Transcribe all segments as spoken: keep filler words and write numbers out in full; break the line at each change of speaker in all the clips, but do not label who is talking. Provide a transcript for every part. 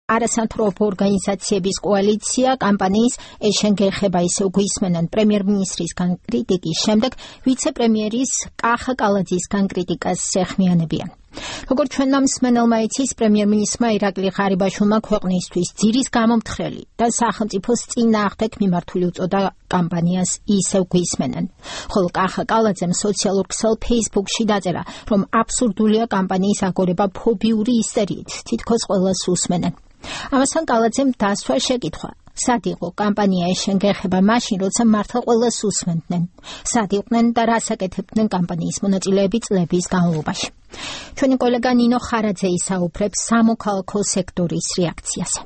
არასამთავრობო ორგანიზაციების კოალიცია კამპანიის ეშენგეხება ისევ გვისმენან პრემიერ-მინისტრისგან კრიტიკის შემდეგ ვიცე-პრემიერის კახა კალაძისგან კრიტიკას სეხმიანებიან. Როგორც ჩვენმა მსმენელმა იცის, პრემიერ-მინისტრმა ირაკლი ღარიბაშვილმა ქვეყნისთვის ძირის გამომთხრელი და სახელმწიფოს წინააღმდეგ მიმართული უწოდა კამპანიას ისევ გვისმენან. ხოლო კახა კალაძემ სოციალურ ქსელ ფეისბუქში დაწერა, რომ აბსურდულია კამპანიის აგორება ფობიური ისერიით, თითქოს ყველას უსმენენ. ამასთან კალაძემ დასვა შეკითხვა. სად იყო კამპანია ეშენგეხება მაშინ, როცა მართლა ყველას უსმენდნენ? სად იყვნენ და რას აკეთებდნენ კამპანიის მონაწილეები წლების განმავლობაში? ჩვენი კოლეგა ნინო ხარაძე ისაუბრებს სამოქალაქო სექტორის რეაქციაზე.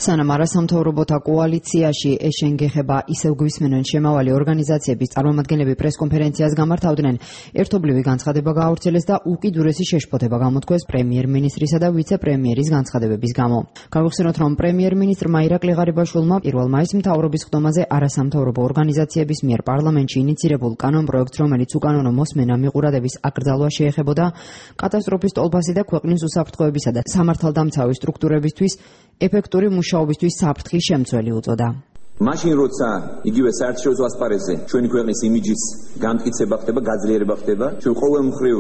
სანამ არასამთავრობოთა კოალიციაში ეშენგეხება ისევ გვისმენენ შემავალი ორგანიზაციების წარმომადგენლები პრესკონფერენციას გამართავდნენ, ერთობლივი განცხადება გაავრცელეს და უკიდურესი შეშფოთება გამოთქვეს პრემიერ-მინისტრისა და ვიცე-პრემიერის განცხადებების გამო. Გავიხსენოთ, რომ პრემიერ-მინისტრმა ირაკლი ღარიბაშვილმა პირველ მაისს მთავრობის ხდომაზე არასამთავრობო ორგანიზაციების მიერ პარლამენტში ინიცირებულ კანონპროექტს, რომელიც უკანონო მოსმენა მიყურადების აკრძალვა შეეხებოდა, კატასტროფის ტოლფასი და ქვეყნის უსაფრთხოებისა და სამართალდამცავი სტრუქტურებისთვის ეფექტური მუშაობისთვის საფრთხის შემცველი უწოდა.
მაშინ როცა იგივე საერთაშორისო ასპარეზზე ჩვენი ქვეყნის იმიჯის განმტკიცება ხდება, გაძლიერება ხდება, ჩვენ ყოველ მხრივ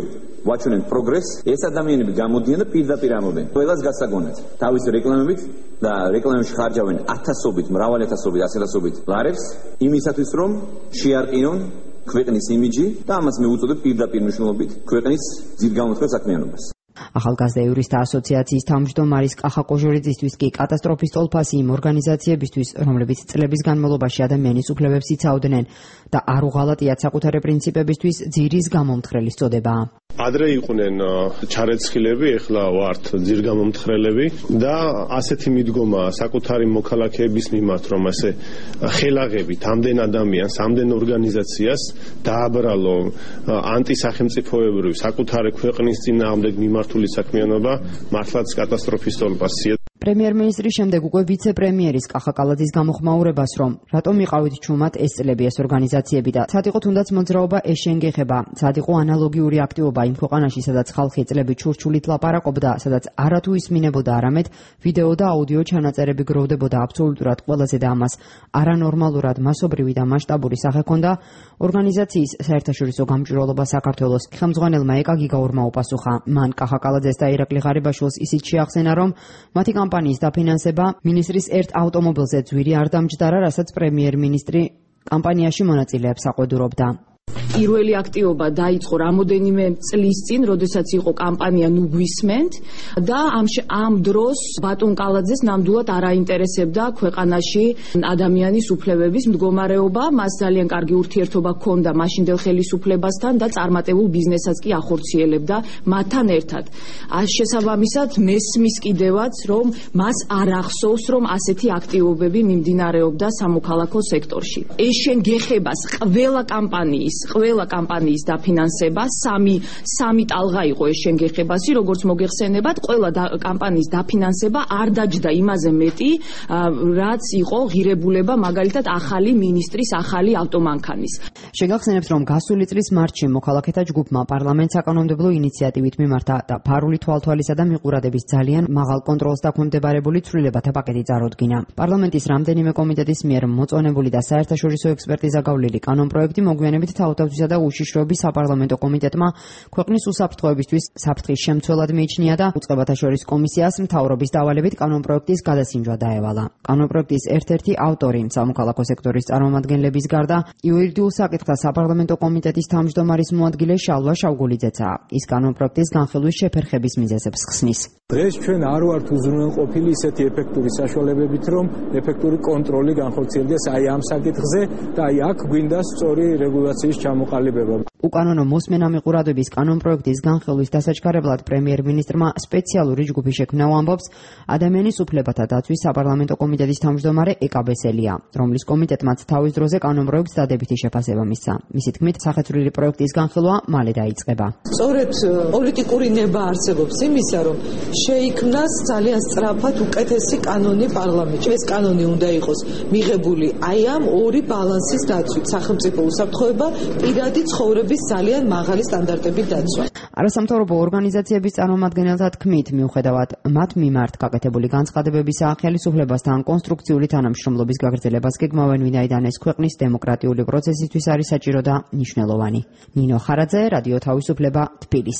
ვაჩვენებთ პროგრესს, ეს ადამიანები გამოდიან და პირდაპირ ამბობენ ყველას გასაგონად თავის რეკლამებით და რეკლამებში ხარჯავენ ათასობით, მრავალი ათასობით, ასეთასობით ლარებს იმისათვის, რომ შეარყინონ ქვეყნის იმიჯი და ამას მე უწოდებ პირდაპირ მნიშვნელობით ქვეყნის ძირგამოთქმელ საქმიანობას.
ახალგაზრდა იურისტთა ასოციაციის თავმჯდომარის კახა კოჟორიძისთვის კი კატასტროფის ტოლფასი იმ ორგანიზაციებისთვის, რომლებიც წლების განმავლობაში ადამიანის უფლებებს იცავდნენ და არ უღალატიათ საკუთარი პრინციპებისთვის, ძირის გამომთხრელის წოდება.
ადრე იყვნენ ჩარეცხილები, ეხლა ვართ ძირგამომთხრელები და ასეთი მიდგომა საკუთარი მოქალაქეების მიმართ, რომ ასე ხელაღებით ამდენ ადამიანს, ამდენ ორგანიზაციას დააბრალო ანტისახელმწიფოებრივი საკუთარი ქვეყნის წინააღმდეგ მიმართული საქმიანობა, მართლაც კატასტროფის ტოლფასია.
პრემიერ-მინისტრის შემდეგ უკვე ვიცე-პრემიერის კახა კალაძის გამოხმაურებას, რომ რატომ იყავით ჩუმად ეს წლები ეს ორგანიზაციები და სად იყო თუნდაც მოძრაობა ეშენგეხება, სად იყო ანალოგიური აქტივობა იმ ქვეყანაში, სადაც ხალხი წლები ჩურჩულით ლაპარაკობდა, სადაც არათუ ისმინებოდა, არამედ ვიდეო და აუდიო ჩანაწერები გროვდებოდა აბსოლუტურად ყველაზე და ამას არანორმალურად მასობრივი და მასშტაბური სახე ჰქონდა. ორგანიზაციის საერთაშორისო გამჭვირვალობა საქართველოს ხელმძღვანელმა ეკა გიგაურმა უპასუხა. მან კახა კალაძეს და ირაკლი ღარიბაშვილს ისიც შეახსენა, რომ მათი კამპანიის დაფინანსება მინისტრის ერთ ავტომობილზე ძვირი არ დამჯდარა, რასაც პრემიერ-მინისტრი კამპანიაში მონაწილეებს აყვედურობდა.
პირველი აქტივობა დაიწყო რამოდენიმე წლის წინ, როდესაც იყო კამპანია ნუ გვისმენთ და ამ ამ დროს ბატონ კალაძეს ნამდვილად არ აინტერესებდა ქვეყანაში ადამიანის უფლებების მდგომარეობა, მას ძალიან კარგი ურთიერთობა ჰქონდა მაშინდელ ხელისუფლებასთან და წარმატებულ ბიზნესაც კი ახორციელებდა მათთან ერთად. შესაბამისად მესმის კიდევაც, რომ მას არ ახსოვს, რომ ასეთი აქტივობები მიმდინარეობდა სამოქალაქო სექტორში. ეშენგეხებას ყველა კამპანიის ყველა კამპანიის დაფინანსება სამი სამი ტალღა იყო ეშენგეხებასი, როგორც მოგეხსენებათ, ყველა კამპანიის დაფინანსება არ დაჯდა იმაზე მეტი, რაც იყო ღირებულება მაგალითად ახალი მინისტრის ახალი ავტომანქანის.
შეგახსენებთ, რომ გასული წლის მარტში მოქალაქეთა ჯგუფმა პარლამენტს საკანონმდებლო ინიციატივით მიმართა და ფარული თვალთვალისა და მიყურადების ძალიან მაღალ კონტროლს დაქვემდებარებული ცვლილებათა პაკეტი წარუდგინა. პარლამენტის რამდენიმე კომიტეტის მიერ მოწონებული და საერთაშორისო ექსპერტიზა გავლილი კანონპროექტი მოგვიანებით თავდაცვისა და უშიშროების საპარლამენტო კომიტეტმა ქვეყნის უსაფრთხოებისთვის საფრთხის შემცველად მიიჩნია და უწყებათა შორის კომისიას მთავრობის დავალებით კანონპროექტის გადასინჯვა დაევალა. კანონპროექტის ერთ-ერთი ავტორი სამოქალაქო სექტორის წარმომადგენლების გარდა იურიდიულ საკითხთა საპარლამენტო კომიტეტის თავმჯდომარის მოადგილე შალვა შავგულიძეცაა. ის კანონპროექტის განხილვის შეფერხების მიზეზებს ხსნის.
დღეს ჩვენ არ ვართ უზრუნველყოფილი ისეთი ეფექტური საშუალებებით, რომ ეფექტური კონტროლი განხორციელდეს აი ამ საკითხზე და აი აქ გვინდა სწორი რეგულაციის ჩამოყალიბება.
უკანონო მოსმენა მიყურადების კანონპროექტის განხილვის დასაჩქარებლად პრემიერ-მინისტრმა სპეციალური ჯგუფი შექმნა, ამბობს ადამიანის უფლებათა დაცვის საპარლამენტო კომიტეტის თავმჯდომარე ეკა ბესელია, რომლის კომიტეტმაც თავის დროზე კანონპროექტს დადებითი შეფასება მისცა. მისი თქმით, სახეცვლილი პროექტის განხილვა მალე დაიწყება.
სწორედ პოლიტიკური ნება არსებობს იმისა, რომ შეიქმნას ძალიან სწრაფად უკეთესი კანონი პარლამენტში. ეს კანონი უნდა იყოს მიღებული აი ამ ორი ბალანსის დაცვით, სახელმწიფო უსაფრთხოება, პირადი ცხოვრების ძალიან მაღალი სტანდარტებით დაცვა.
არასამთავრობო ორგანიზაციების წარმომადგენელთა თქმით, მიუხედავად მათ მიმართ გაკეთებული განცხადებებისა, ხელისუფლებასთან კონსტრუქციული თანამშრომლობის გაგრძელებას გეგმავენ, ვინაიდან ეს ქვეყნის დემოკრატიული პროცესისთვის არის საჭირო და მნიშვნელოვანი. ნინო ხარაძე, რადიო თავისუფლება, თბილისი.